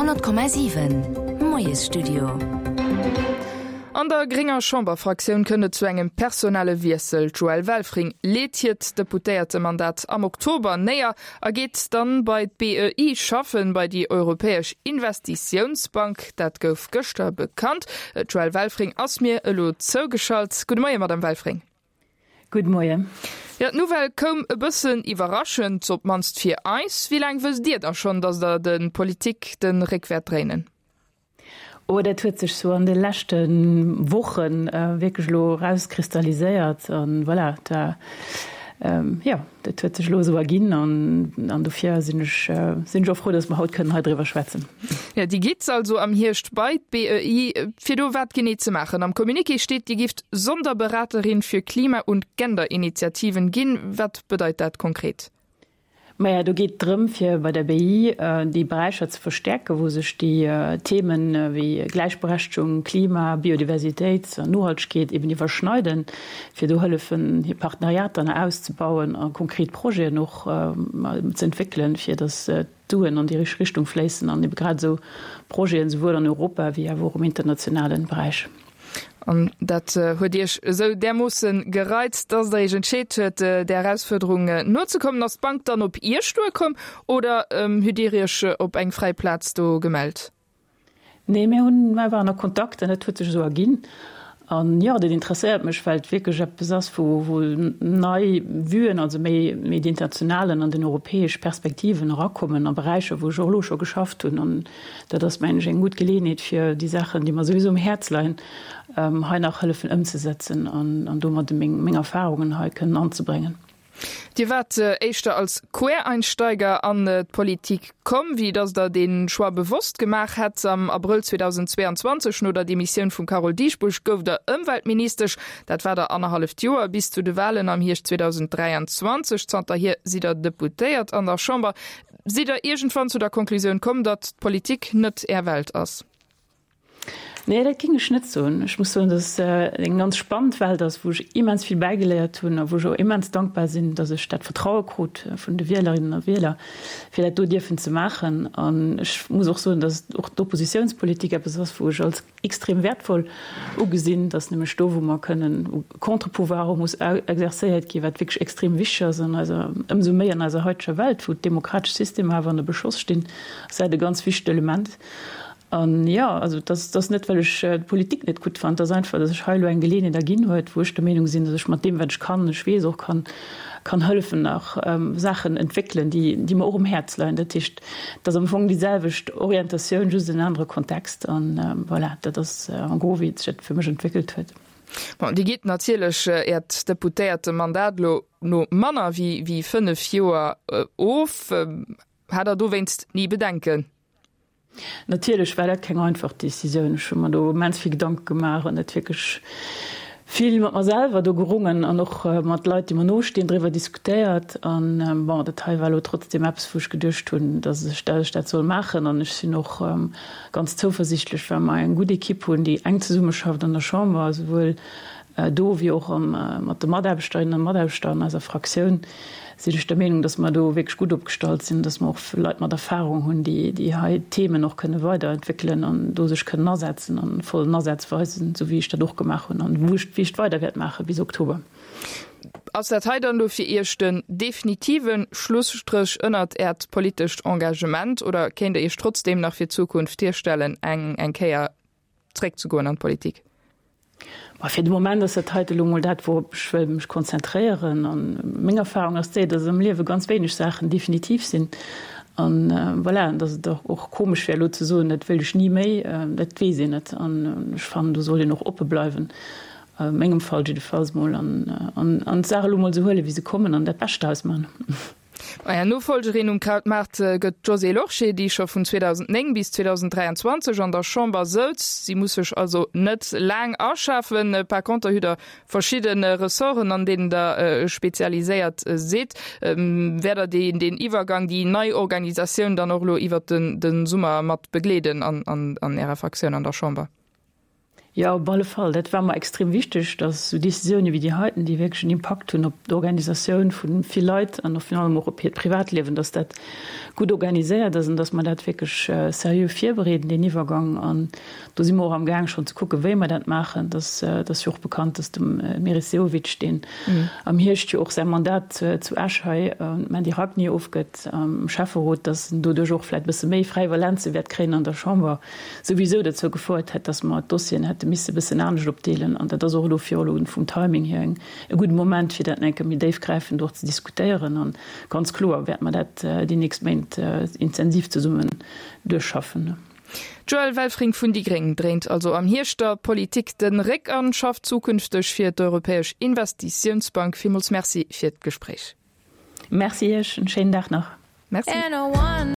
100,7 Moiesstudio. An der grénger Chamberfraktioun kënnt et zu engem personelle Wiessel. D'Joëlle Welfring leet hiert Deputéiertemandat am Oktober néier a geet dann bei d'BEI schaffen, bei déi Europäesch Investitiounsbank. Dat gouf gëschter bekannt. D'Joëlle Welfring ass mir elo zougeschalt. Gudde Moien, Madame Welfring. Gudde Moien. Jo, d'Nouvelle koum e bëssen iwwerraschend, op d'mannst fir eis. Wéi laang wësst Dir da schonn, datt Der de Politik de Réck wäert dréinen? Oh, dat huet sech sou an de leschte Woche wierklech elo erauskristalliséiert. An voilà, da, jo, dat huet sech elo esou erginn an, an dofir sinn ech, sinn ech och frou, datt mer haut kënnen hei driwwer schwätzen. Jo, Dir gitt also am Hierscht bei d'BEI, fir do wat genee ze maachen? Am Communiqué steet, Dir gifft Sonderberaterin für Klima und Genderinitiativen ginn. Wat bedeit dat konkret? Maja, do geet et drëm, fir bei der BEI déi Beräicher ze verstäerken, wou sech déi Themen wéi Gläichberechtegung, Klima, Biodiversitéit an Nohaltegkeet eben iwwerschneiden, fir do hëllefen, hir Partenariater nach auszebauen a konkret Projeten och ze entwéckelen, fir datt d'Suen an déi richteg Richtung fléissen an ebe grad esou Projeten, souwuel an Europa wéi awer och um internationalen Beräich. An dat huet Iech esou därmoosse gereizt, dass Der Iech entscheet huet, där Erausfuerderung nozekommen. Ass d'Bank dann op Iech duerkomm oder hutt Dir Iech op eng fräi Plaz do gemellt? Nee, mir hunn, mir waren a Kontakt an dat huet sech esou erginn. An jo, dat interesséiert mech, well et wierklech eppes ass, wou, wou nei Vuen, also méi, méi déi internationalen an den europäesch Perspektiven erakommen a Beräicher, wou ech och elo scho geschafft hunn. An dat ass, mengen ech, eng gutt Geleeënheet, fir déi Saachen, déi mer souwisou um Häerz leien, hei nach hëllefen ëmzesetzen an, an domadde meng, meng Erfahrungen hei kënnen anzebréngen. Dir waart éischter als Quereinsteiger an d'Politik komm, wéi datt Der dee Choix bewosst gemaach hätt. Am Abrëll 2022, no der Demissioun vum Carole Dieschbourg, gouft Der Ëmweltministesch. Dat war der annerhalleft Joer, bis zu de Walen am Hierscht 2023. Zanterhier sidd Der Deputéiert an der Chamber. Sidd Der iergendwann zu der Konklusioun komm, datt d'Politik net Är Welt ass? Nee, dat géing ech net soen. Ech muss soen, dass et eng ganz spannend Welt ass, wou ech immens vill bäigeléiert hunn a wou ech och immens dankbar sinn, dass ech dat Vertraue krut vun de Wielerinnen a Wieler, fir dat do dierfen ze maachen. An ech muss och soen, dass och d'Oppositiounspolitik eppes ass, wou ech als extrem wäertvoll ugesinn, dass nämlech do, wou mer kënnen, wou Contre-pouvoir och muss exerzéiert ginn, wat wierklech extrem wichteg ass an eiser, ëmsou méi an eiser haiteger Welt, wou d'demokratesch Systemer awer ënner Beschoss stinn, ass dat e ganz wichtegt Element. An jo, also et ass, et ass net, well ech d'Politik net gutt fannen, et ass einfach, datt sech hei elo eng Geleeënheet erginn huet, wou ech der Meenung sinn, datt ech mat deem, wat ech kann, ech weess och kann, kann hëllefen nach Saachen entwéckelen, déi, déi mer och um Häerz leien. Dat heescht, et ass am Fong déi selwecht Orientatioun, just en anere Kontext. An voilà, dat ass en gros, wéi et sech dat fir mech entwéckelt huet. Bon, Dir gitt natierlech Äert Deputéiertemandat elo no manner wéi, wéi 5 Joer of. Hat Der dowéinst ni Bedenken? Natierlech war dat keng einfach Decisioun. Ech hu mer do immens vill Gedanke gemaach an et wierklech vill mat mer selwer do gerungen an och mat Leit, déi mer nostinn, driwwer diskutéiert. An bon, dat hei war elo trotzdeem eppes, wou ech geduecht hunn, datt ech dat ech dat soll maachen. An ech sinn och ganz zouversiichtlech, well mer eng gutt Ekipp hunn, déi enk zesummeschafft an der Chamber, esouwuel do wéi och mat de Mataarbechterinnen a Mataarbechter an eiser Fraktioun sinn ech der Meenung, dass mer do wierklech gutt opgestallt sinn, dass mer och Leit mat Erfahrung hunn, déi déi hei Themen och kënne weiderentwéckelen an do sech kënnen asetzen an vollen Asaz weisen, esou wéi ech dat och gemaach hunn an wou ech wéi ech et weider wäert maache bis Oktober. Ass dat hei dann elo fir Iech den definitive Schlusstréch ënnert Äert politescht Engagement oder kéint Der Iech trotzdeem nach fir d'Zukunft virstellen, eng eng Kéier zréckzegoen an d'Politik? Ma fir de Moment ass dat heite elo mol dat, wourop ech wëll mech konzentréieren. A meng Erfahrung ass déi, datt am Liewe ganz wéineg Saachen definitiv sinn. An voilà, an datt et och komesch wär elo ze soen, dat wëilt ech ni méi, dat weess een net. An ech fannen, do sollt een och oppe bleiwen, a mengem Fall jiddefalls mol, an an d'Saach elo mol esou huelen, wéi se kommen an dat Bescht draus maachen. Är Nofollgerin um Krautmaart gëtt d'Josée Lorsché, déi scho vun 2009 bis 2023 an der Chamber souz. Si muss sech also net laang aschafen. Par conter hutt der verschidde Ressorten, an deenen der spezialiséiert sidd. Wäert der deen Iwwergang, déi nei Organisatioun dann och elo iwwert de Summer mat begleeden an Ärer Fraktioun an der Chamber? Jo, op alle Fall. Dat war mer extrem wichteg, datt esou Décisioune wéi déi heiten, déi wierklech en Impakt hunn op d'Organisatioun vu vill Leit an och virun allem och op hiert Privatliewen, datt dat gutt organiséiert ass an datt mer dat wierklech seriö virbereeden, deen Iwwergang. An do si mer och amgaang schonn ze kucken, wéi mer dat maachen. Dat ass jo och bekannt, datt de Meris Sehovic, deen am Hierscht jo och säi Mandat zu Esch hei un d'Mandy Ragni ofgëtt am Schäfferot, datt en doduerch och vläicht e bësse méi fräi Valenze wäert kréien an der Chamber. souwisou dozou gefouert hätt, dass mer d'Dossieren hätte misse e bëssen anescht opdeelen. An dat ass och elo fir elo vum Timing hier e gudde Moment, fir dat nach eng Kéier méi déifgräifend och ze diskutéieren. A ganz kloer wäerte mer dat déi nächst Méint intensiv zesummen duerchschaffen. D'Joëlle Welfring vun déi gréng dréint also am Hierscht der Politik den Réck an schafft zukünfteg fir d'Europäesch Investitiounsbank. Villmools Merci fir d'Gespréich. Merci Iech, en schéinen Dag nach. Merci.